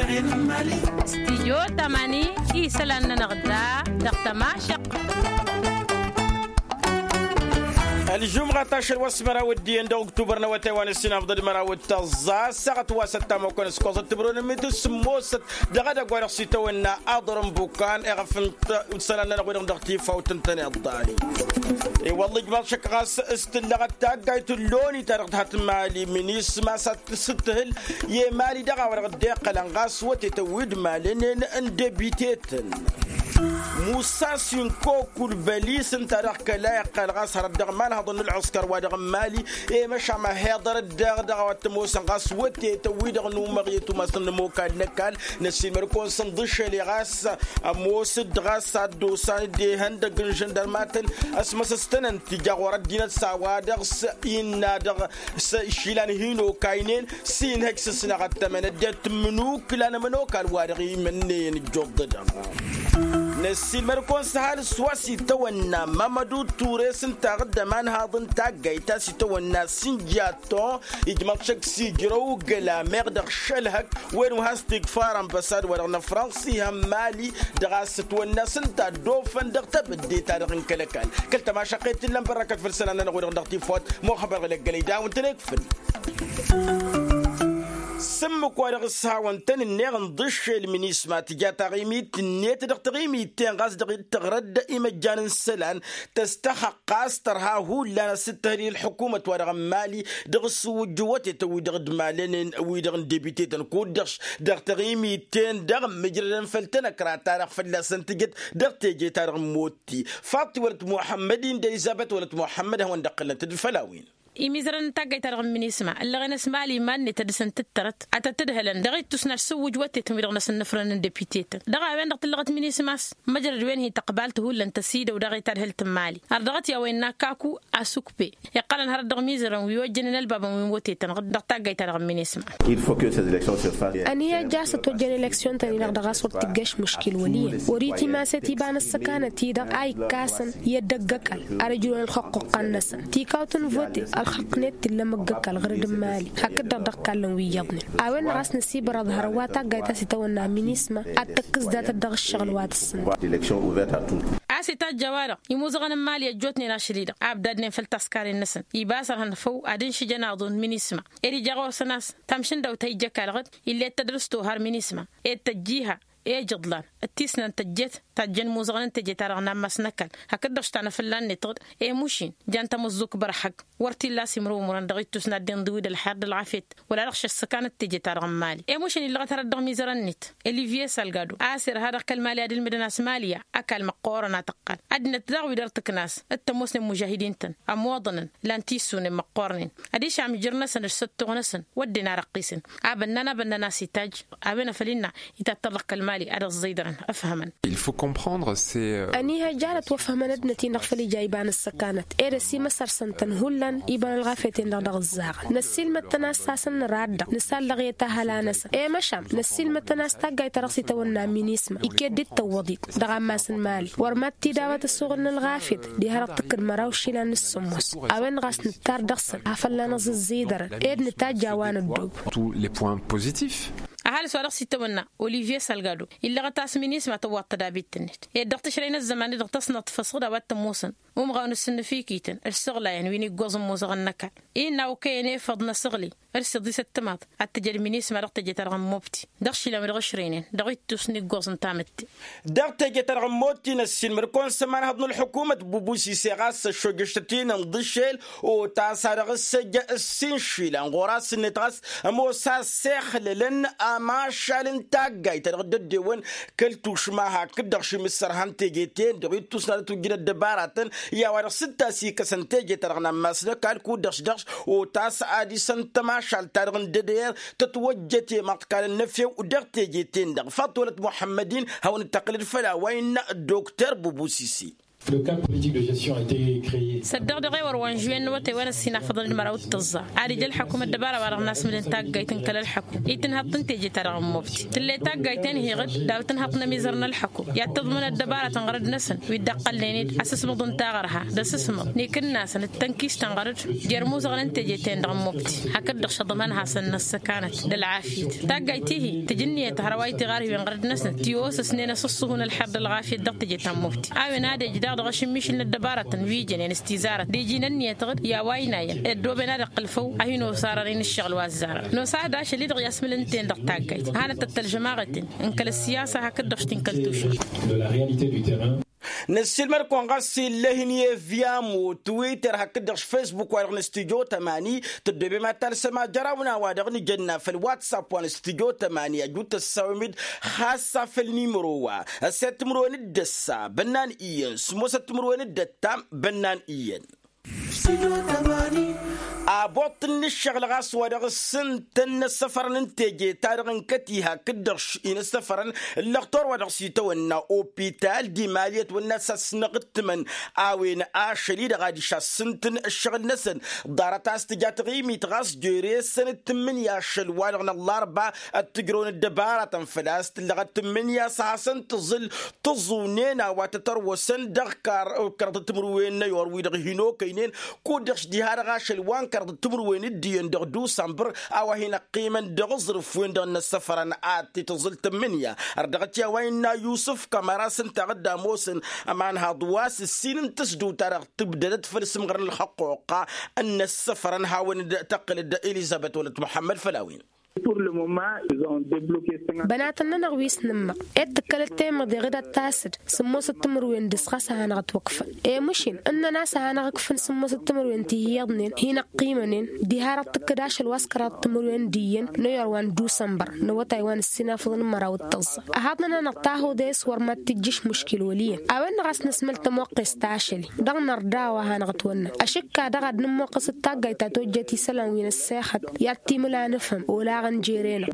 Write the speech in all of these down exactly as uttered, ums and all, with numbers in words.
Stidyo tamani isălan-nănăɣ da dăɣ-tămašăɣt. Ălžumɣa tašăl wa s-măraw d-iyyăn dăɣ-uktubăr n-awătay wa n-ǝssin afḍăl măraw d-tăẓẓa ăssaɣăt wa s-ăttamăkăn s-koẓăt tibrun n-mitǝs s-ămoosăt dăɣ-edăgg wa dăɣ-s itawănna aḍrǝn bukan iɣăf n-isălan-nănăɣ wi-dăɣ dăɣ-tifawt n-tăn-iḍḍani. I-wălla ijmaḍ šăkk ɣas s-tǝllăɣăt taggayt n-loni ta dăɣ-tăhat n-mali minisma s-ad-tǝsǝthǝl i-mali dăɣ-a-wa dăɣ-dd-iqqălăn ɣas wătetăn wi d-malănen n-debitetăn. Musa sinko kulbălis ǝnta dăɣ-kăla iqqăl ɣas hărăt dăɣ-imalhăḍăn n-ălɣǝskăr wa dăɣ-n mali i-măšan ma heḍărăt daɣ dăɣ-a-wa t-ămoosăn ɣas wătetăn wi-dăɣ n-umăɣ i-tumas n-ămokal n-ăkall. Năssiilmăd-kăwăn s-ǝnḍǝšel i-ɣas ămoosăt ɣas ad-dd-osan dd-ehăndăgg n-žăndărmatăn ăsmăsăstănăn tija ɣur-ăddinăt s-a-wa-dăɣ s-innă dăɣ-s išilan hin-okaynen s-inhăj s-ǝsnăɣăt tămănăddiyăt tǝmmǝnuk lan ămănokal wa dăɣ-imănneyăn ǝjjuḍ-dăɣ. Năssiilmăd-kăwăn s-ăhalǝs wa s-itawănna mămădu ture s-ǝnta aɣǝddăm anhaḍ n-taggayt a s-itawănna sǝnjat to ijmăḍ šăkk s-ijrăw gălameɣ dăɣ-šălhăk wen wa has-t-igfar ănbăsad wa dăɣ-năfrăns ihăn mali dăɣ-a-s ǝtwănna s-ǝnta dd-ofăn dăɣ-tebădde-ta-dăɣ n-kăl-ăkall. Kăl-tămašăqqet t-illa n-bărrăkăt făll-isălan-nănăɣ wi-dăɣ dăɣ-tifawt muxăbăr ɣǝlăggălăy d-a-wen-tăn-ekfǝl. S-ǝmmǝk wa dăɣ-s-hawăn-tăn-ǝnneɣ ǝnḍǝššel minisma tǝja taɣimit-net dăɣ-taɣimit-ten ɣas dăɣ-dd-tăɣrăd imăjjan n-isălan tăstăxăɣ ɣas tărha hullan asǝttăhǝl i-ălḥukumăt wa dăɣ-n mali dăɣ-s wǝjjǝwătetăn wi-dăɣ d-malănen wi-dăɣ n-debitetăn kud-dăɣ dăɣ-taɣimit-ten-dăɣ mǝjrădăn făll-tanăkra-ta-dăɣ fălla-săn tǝjăt dăɣ-teje-ta-dăɣ n-motti. Faḍt-i wălăt muḥămmăd-in d-elizăbet wălăt muḥămmăd hawăn-dd-ăqqǝlnăt d-făll-a-wen. Imizărăn n-taggayt-ta-dăɣ n-minisma ǝllăɣen a-s mali iman-net ad-dăr-săn tǝttărăt ad-tăt-ǝdhǝlăn dăɣ-ittus n-ad-dăr-s ǝwwǝj wătetăn wi-dăɣ n-asǝnnǝfrăn n-depitetăn dăɣ-a-wen-dăɣ tǝllăɣăt minisma a-s măjrăd wen hi-tăqbalt hullan tăsidăw daɣ i-tadhǝlt n-mali har dăɣ-t i-a-wa innă kaku asukpe iqqălăn hărăt dăɣ-imizărăn wi ojjănen ălbabăn wi n-wătetăn dăɣ-taggayt-ta-dăɣ n-minisma. Ănihăjja a-s ătwăjjăn eleksyon-tăn-i-dăɣ dăɣ-a-s wăr tǝjjăš muškil wăl' iyyăn wăr-itimas i-tiba n-ăssăkanăt-i-dăɣ a ikkasăn i-ăddăgg ăkall ad-ǝjrǝwăn ălxăqquqqan-năsăn tikawt n-vote ălxăqqnet t-illa măgg-ăkall ɣărăd n-imali hakd-dăɣ dăɣ-kallăn wi iyyăḍnen. A-wen-dăɣ a-s năsibărăḍ hărăt wa taggayt a-s itawănna minisma ad-tăkkǝs datăt dăɣ-ǝššăɣǝl wa tǝssǝntă. A-s itajj a-wa-dăɣ imuzăɣăn n-imali ăjjootnen ašăl-i-dăɣ a ǝbdadnen făll-taskaren-năsăn iba a-s ărhăn făw ad-ǝnšǝjăn aḍu n-minisma ed ija ɣur-săn a-s tamšǝndăwt a ija ăkall ɣǝd ill'-e d-tădrǝs tohar minisma ed tăjj'-iha ejǝḍlan d-tisnant tăjjet tajjăn imuzăɣăn n-teje-ta-dăɣ n-ammas n-ăkall hakd-dăɣ š-tanăfǝlla-net ɣǝd emuš-in jan tamǝẓẓukt bărhăg wăr t-illa a-s imrǝwmǝrăn dăɣ-ittus n-ad-dd-inḍǝw d-ălxer d-ălɣafyăt wăla-dăɣ šăssăkanăt teje-ta-dăɣ n-imali emuš-in illăɣăt hărăt dăɣ-imizărăn-net olivye salgado a-s irha dăɣ-kăl-mali ad-ǝlmǝdăn a-s mali ya ăkall măqqoorăn a tăqqal ăddinăt daɣ wi dăr-tǝkna a-s t-ămoosnen mužahidin-tăn ămoḍănăn lan tissunen măqqoornen ad-išam ijǝr-năsăn d-săttoɣ-năsăn wădden arăqqisăn. Abănnan abănnan a-s itajj a-wen afăl innă itattăr dăɣ-kăl-mali ad-ăẓẓidărăn ăfhămăn. Il faut comprendre c'est. Ănihăjja ad-ătwăfhămăn ăddinăt-in-dăɣ făll-ija iba n-ăssăkanăt ed ăsimăsăr-săn-tăn hullan iba n-ălɣafyăt-en-dăɣ dăɣ-ǝzzaɣăn năssiilmăd-tăn a-s tasăn năra-dd-dăɣ nǝsallăɣ i-tahăla-năsăn i-măšan năssiilmăd-tăn a-s taggayt ta dăɣ-s itawănna minisma iket d-tăwwăḍit dăɣ-ammas n-mali wăr mad-t-dd-awăt ăsuɣǝl n-ălɣafyăt diha dăɣ-tǝkkǝd măraw išilan n-ǝssǝmmos. A-wen-dăɣ a-s nǝttar dăɣ-săn afăl lanăẓẓǝzzǝydărăn ed nǝtajj a-wa năddob. Tous les points positifs. Ăhalǝs wa dăɣ-s itawănna olivye salgado illăɣăt a-s minisma tăwwaḍ tădabit-net ed dăɣ-tǝšrăy n-ăzzăman-i-dăɣ tăsnăḍt făsɣǝd a-wa t-ămoosăn umɣaw n-asǝnnǝfikităn d-isăɣlayăn wi n-iggoẓ n-imuzăɣăn n-ăkall innă okăyăn efăḍ n-asăɣli ărsiḍ isăttămaḍ ad-tǝjăd minisma dăɣ-teje-ta-dăɣ n-mobti dăɣ-išilan wi dăɣ-ǝšrăynen dăɣ-ittus n-iggoẓ n-tamǝtte. Dăɣ-teje-ta-dăɣ n-mobti năssiilmăd-kăwăn s-ămanhăḍ n-ălḥukumăt bubusi s-e ɣas ăššojăšăt-in ǝnḍǝšel otas a dăɣ-s ăjja ǝssin išilan ɣur-asǝnnet ɣas ămoos a ăssexlălăn amašal n-taggayt ta dăɣ-dd-ăddewăn kăl-tušma hakd-dăɣ šimǝssărha n-teje-ten-dăɣ ittus n-ad-ătwǝjjǝn ăddăbaratăn i-a-wa dăɣ-s dd-tasikăsăn teje-ta-dăɣ n-ammas n-ăkall kud-dăɣ-s dăɣ-s otas ad-isăn tămašalt-ta-dăɣ n-dăder tătwăjjăt i-imaḍkal ănnăfew dăɣ-teje-ten-dăɣ. Faḍt-wălăt muḥămmăd-in hawăn-dd-tăqqǝlăd făll-a-wa innă dokter bubusisi. Săddeɣ dăɣ-ewăr wa n-žuwen n-awătay wa n-ăssinafăḍăn d-măraw d-tǝẓẓa ad-ija ălḥăkum ăddăbara-wa-dăɣ n-asmǝlăn taggayt n-kăl-ălḥăkum. Itǝnhăḍ-tăn teje-ta-dăɣ n-mobti tǝlley taggayt-en hiɣ-dd daw-tǝnhăḍ n-ămizăr n-ălḥăkum i-ad-tǝḍmǝn ăddăbaratăn ɣărăd-năsăn wi dd-ăqqălnen-dd asǝsmǝḍ n-taɣărha d-asǝsmǝḍ n-ikǝnnasăn d-tănkist n-ɣărăd. Jer-imuzăɣăn n-teje-ten-dăɣ n-mobti hakd-dăɣ šăḍmăn hasăn-năssăkanăt d-ălɣafyăt. Taggayt-ihi tǝj ǝnniyăt hărwa itiɣarhiwen ɣărăd-năsnăt tiwosăsnen asǝṣṣuhu n-ălḥer d-ălɣafyăt dăɣ-teje ta n-mobti a-wen ad-ej daɣ dăɣ-ašǝmmišǝl n-ăddăbaratăn wi jănen s-tizarăt d-iji n-ǝnniyăt ɣǝd i-a-wa ăynayăn ăddooben ad-iqqǝl făw a hin-osarăr-in ǝššăɣǝl wa ăzzarăn. Nosah d-ašăl-i-dăɣ i-asmǝl ǝnta-en dăɣ-taggayt a hanăt-ăttălžăm aɣǝtǝn n-kăl-ăssiyasa hakd-dăɣ š-ti n-kăl-tušma. Năssiilmăd-kăwăn ɣas ill'-e-hin i-evyamo twitter hakd-dăɣ š-facebook-wa-dăɣ n-studyo tămani. Tăddoobem ad-talsăm ajăraw n-a-wa-dăɣ nǝjănna făll-whatsapp wa n-studyo tămani ăjut tăssawem-dd ɣas afăl nimăro wa ăssed timǝrwen d-ăssa bănnan iyyăn s-mosăt timǝrwen d-ăttam bănnan iyyăn. Aboṭṭǝl n-ǝššăɣǝl ɣas wa dăɣ-s ǝntăn n-ăssăfărăn n-teje-ta-dăɣ n-kăti hakd-dăɣ š-inăssăfărăn ǝllăɣtor wa dăɣ-s itawănna opital d-imaliyăt wănna s-asnăɣ d-tǝmăn. A-wen ašăl-i-dăɣ adiš a-s ǝntăn ǝššăɣǝl-năsăn ḍarăt a-s tǝja taɣimit ɣas jere-săn d-tǝmmǝnǝya ašăl-wa-dăɣ n-ăllarba ăttǝjrăwăn ăddăbaratăn făl-a-s tǝllăɣăt tǝmmǝnǝya s-ad-hasăn-tǝẓǝl tǝẓunen a-wa tătărwăsăn dăɣ-kăraḍăt timǝrwen n-ayor wi-dăɣ hin-okăynen. Kud-dăɣ š-diha-dăɣ ašăl wa n-kăraḍăt timǝrwen d-iyyăn dăɣ-dusănbăr a-wa hin-ăqqimăn dăɣ-aẓrǝf-wen-dăɣ n-ăssăfărăn ad-t-tǝẓǝl tǝmmǝnǝya. Ărdăɣăt i-a-wa innă yusǝf kămăra s-ǝnta a dd-ămoosăn ămanhaḍ wa s-ǝssin n-tǝsdǝwt-ta-dăɣ tǝbdădăt făll-isǝmɣăr n-ǝlxăqquqa n-inăssăfărăn hawăn-dd-tăqqǝlăd elizăbet wălăt muḥămmăd făll-a-wen. Bănatăn-nănăɣ wi s-nǝmmăɣ ed tǝkkălăt temăḍe ɣǝd ad-tasǝd sǝmmosăt timǝrwen dăɣ-s ɣas a hanăɣ-ătwăkfăn. Emǝšin ǝnnăn a-s a hanăɣ-ǝkfǝn sǝmmosăt timǝrwen ti hi-iyyăḍnen hin-ăqqimănen diha-dăɣ tǝkkǝd ašăl wa s-kăraḍăt timǝrwen d-iyyăn n-ayor wa n-dusănbăr n-awătay wa n-ăssinafăḍăn măraw d-tăẓẓa. Ăhaḍnăn-anăɣ tahuḍe s-wăr mad-tǝjjǝš muškil wăl' iyyăn a-wen-dăɣ a-s năsmăl tămoqqes ta ašăl-i dăɣ-nărda a-wa hanăɣ-ătwănna ašǝkka daɣ ad-nǝmmoqqăs d-taggayt ta tojjăt isălan wi n-ăssexăt i-ad-t-imǝla nǝfhǝm olaɣăn jere-năɣ.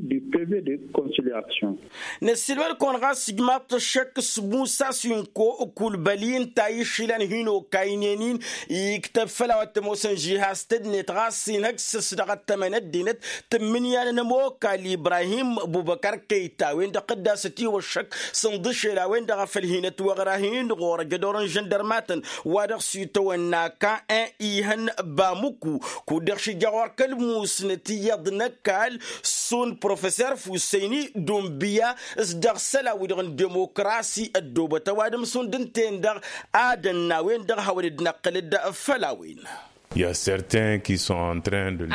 Năssiilmăd-kăwăn ɣas ijmaḍ-t ăššăk s-musa sinko kulbăli ǝnta a išlan hin-okaynen-in iktăb făll-a-wa t-ămoosăn žihaz tednet ɣas inhăj s-dăɣ-ăttămăn ăddinăt tǝmmǝnǝya n-ănămokal ibrahim bubăkar kăyta a-wen-dăɣ tădda s-ătiwăššăk s-inḍǝšel a-wen-dăɣ a făl hin-ătwăɣra hin-ɣur-ăjădor n-žăndărmatăn wa dăɣ-s itawănna ka n-ihăn bamuku. Kud-dăɣ šija ɣur-kăl-musnăt iyyăḍ n-ăkall šund professer fusăyni d-unbǝya s-dăɣ isălan-wi-dăɣ n-demokrasi ăddoobăt ăwadǝm šund ǝnta-en-dăɣ ad-ănn a-wen-dăɣ hawăn-dd-năqqǝlăd făll-a-wen.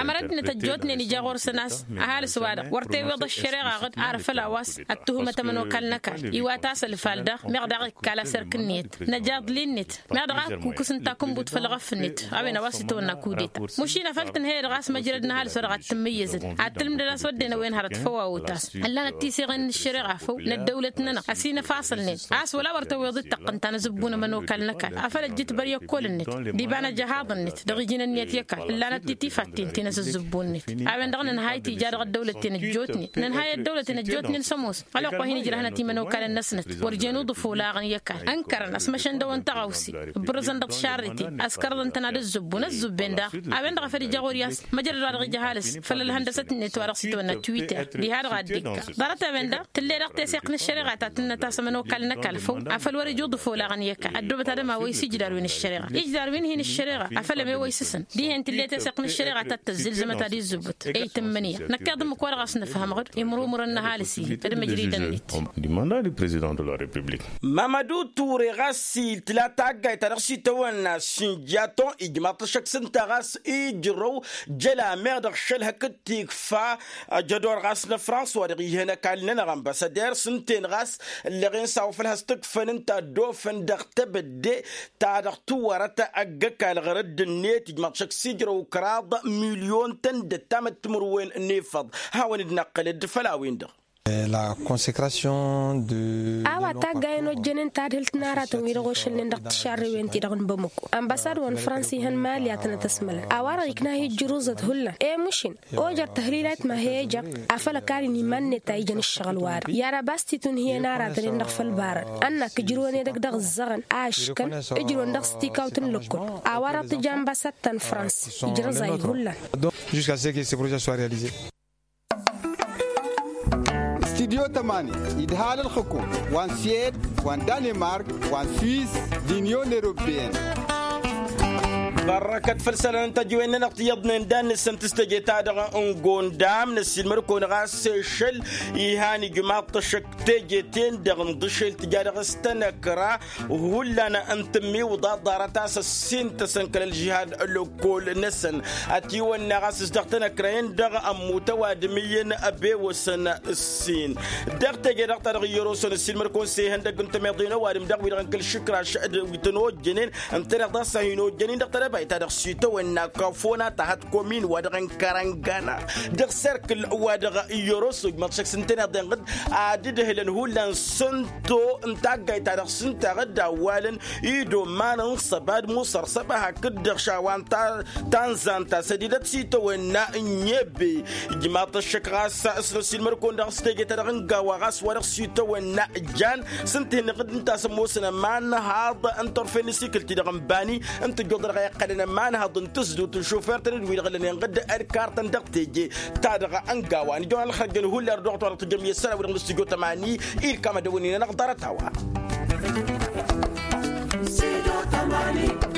Ămăra ăddinăt ăjjootnen ija ɣur-săn a-s ăhalǝs-wa-dăɣ wăr tewweḍ ăššăreɣa ɣǝd ar făll-a-wa s-ăttuhǝmăt ămănokal n-ăkall iwat-as ălfal daɣ meɣ daɣ ikkal asărk-net năjaḍ li-net meɣ dăɣ-a ǝkkukǝs n-takǝnbut făll-ɣăf-net. A-wen a-wa s-itawănna kudeta mušin a făl tǝnhăyăd ɣas măjrăd n-ăhalǝs wa dăɣ-ad-tǝmmǝyyăzăd ad-tǝlmǝdăd a-s wădden a-wen hărăt făw a otas ăllanăt tisăɣen n-ăššăreɣa făw n-ăddăwlăt-nănăɣ ăsinăfaṣălnen a-s wăla wăr tewweḍ d-tăqqǝnta n-azǝbbu n-ămănokal n-ăkall afăl ăjjǝtbăr i-ăkkolăn-net d-iba n-ajăhaḍ-net dăɣ-iji n-ǝnniyăt i-ăkall ǝllanăt titifatten ti n-asǝzzǝbbu-net. A-wen-dăɣ nǝnhay tija dăɣ-ăddăwlăten ăjjootnen nǝnhay ăddăwlăten ăjjootnen s-ămoos ălwăqq wa hin-ǝjrăhnăt imănokalăn-năsnăt wăr jen uḍǝf olaɣăn i-ăkall ǝnkărăn ăsmăšăn dăɣ-wăn tăɣawse ǝbrǝzăn dăɣ-tišarriten ăskărăḍăn-tăn ad-ǝzzǝbbun ăzzubben daɣ. A-wen-dăɣ a făl ija ɣur-i a-s măjrăd wa dăɣ-ija ăhalǝs făll-ălhăndăsăt-net wa dăɣ-s itawănna twitter diha-dăɣ a dd-ikka. Ḍarăt-a-wen-dăɣ tǝlle dăɣ-teseɣt n-ăššăreɣa ta tǝnnăt a-s ămănokal n-ăkall făw afăl wăr-ija uḍǝf olaɣăn i-ăkall ăddoobăt ad-ămawăy s-ijdar wi n-ăššăreɣa ijdar wi n-hin-ăššăreɣa afăl ămewăy s-săn dihen tǝlle teseɣt n-ăššăreɣa ta t-tǝzzǝlzăm ad-izzǝbǝt. I-tǝmmǝnǝya năkk iḍǝmmǝk wa dăɣ-a-s nǝfhăm ɣǝd imrumǝrăn n-ăhalǝs-i d-măjridăn-net. Mamădu ture ɣas i-tǝla taggayt ta dăɣ-s itawănna sinjaton ijmaḍ-t ăššăk s-ǝnta ɣas ijrăw jăla meɣ dăɣ-šăl hakd tikfa. Ăjădor ɣas n-ăfrans wa dăɣ-ihăn ăkall-nănăɣ ănbăsăder s-ǝnta-en ɣas ǝllăɣen s-a-wa făl has-tǝkfăn ǝnta ăddoofăn dăɣ-tebădde ta dăɣ-tiwărăt ăgg-ăkall ɣărădd-net ijmaḍ-t ăššăk s-ijrăw kăraḍ milyon tăn-dd-ăttamăt timǝrwen n-efăḍ. Hawăn-dd-năqqǝlăd făll-a-wen-dăɣ. La consecration de a-wa taggayen ojjănen tadhǝlt n-aratăn wi-dăɣ ošălnen dăɣ-tišarrewen-ti-dăɣ n-bamăko. Ambasad wa n-frans ihăn mali a tănăt-ăsmălăn a-wa-dăɣ ikna hi-ǝjjǝruẓăt hullan. Emušin ojăr tăhlilayt ma he-ejăɣ afăl ăkall-in iman-net a ijăn ǝššăɣǝl-wa-dăɣ i-ad-ăbas t-itunhǝyăn aratăn-en dăɣ-făll-barăn ănn-ak ǝjrǝwăn edăgg dăɣ-ǝzzăɣăn a ǝškăn ǝjrǝwăn dăɣ-s tikawt n-lăkkol. A-wa-dăɣ tǝja ambasad ta n-frans ǝjrăẓ-ayǝd hullan. Jusqu'à ce que ce projet soit réalisé. Studyo tămani idhal ǝlxǝkum wa n-sued wa n-danemark wa n-suis d-union européenne. Bărrăkăt făll-isălan n-tăjjăwen-nănăɣ tiyyăḍnen dan-năsăn tǝstăje-ta-dăɣ n-gondam năssiilmăd-kăwăn ɣas sešăl. Ihan ijmaḍ-t ăššăk teje-ten-dăɣ n-dăšel tǝja dăɣ-s tănăkra hullan n-tǝmmiwǝḍa ḍarăt a-s ăssin-tăsăn kăl-ălžihad lăkkol-năsăn. Ătiwănna ɣas s-dăɣ-tănăkra-en-dăɣ ămmut ăwadǝm iyyăn ăbewăsăn ǝssin. Dăɣ-teje-dăɣ ta dăɣ-iyyăr osăn ǝssin măr-kăwăn-s ehăndăgg n-tămeḍe n-ăwadǝm dăɣ-wi-dăɣ n-kăl-išǝkraš wi tăn-ojjănen ǝntăneḍ dăɣ-s a hin-ojjănen dăɣ-tărăbayt ta dăɣ-s itawănna kăfona ta hăt komin-wa-dăɣ n-kărăngana dăɣ-serkǝl-wa-dăɣ. Iyyăr osoj măḍšăk s-ǝntăneḍ enɣǝd ad-dd-ǝhlăn hullan s-ǝnto n-taggayt ta dăɣ-s ǝnta dd-awwalăn idoman n-săbad musăr săba hakd-dăɣ šawa n-tanzant ta sădidăt s-itawănna n-ebe. Ijmaḍ-t ăššăk ɣas s-năsilmăd-kăwăn dăɣ-s teje-ta-dăɣ n-gawa ɣas wa dăɣ-s itawănna jan s-ǝnta hin-iɣǝd ǝnta a-s ămoosăn ămanhaḍ n-turfen n-asikǝl-ti-dăɣ n-bani n-tǝjjuḍ dăɣ-iqqălăn ămanhaḍ n-tǝzdut n-šufert n-dd-wi-dăɣ ǝllănen ɣǝd ălkartăn dăɣ-teje-ta-dăɣ n-gawa nǝjăwăn ălxărjăn hullar dăɣ-tawănăɣ tǝjjăm i-ăssălan wi-dăɣ n-studyo tămani. Ilkam ad-dăwănnin-anăɣ ḍarăt-a-wa. Studio tămani.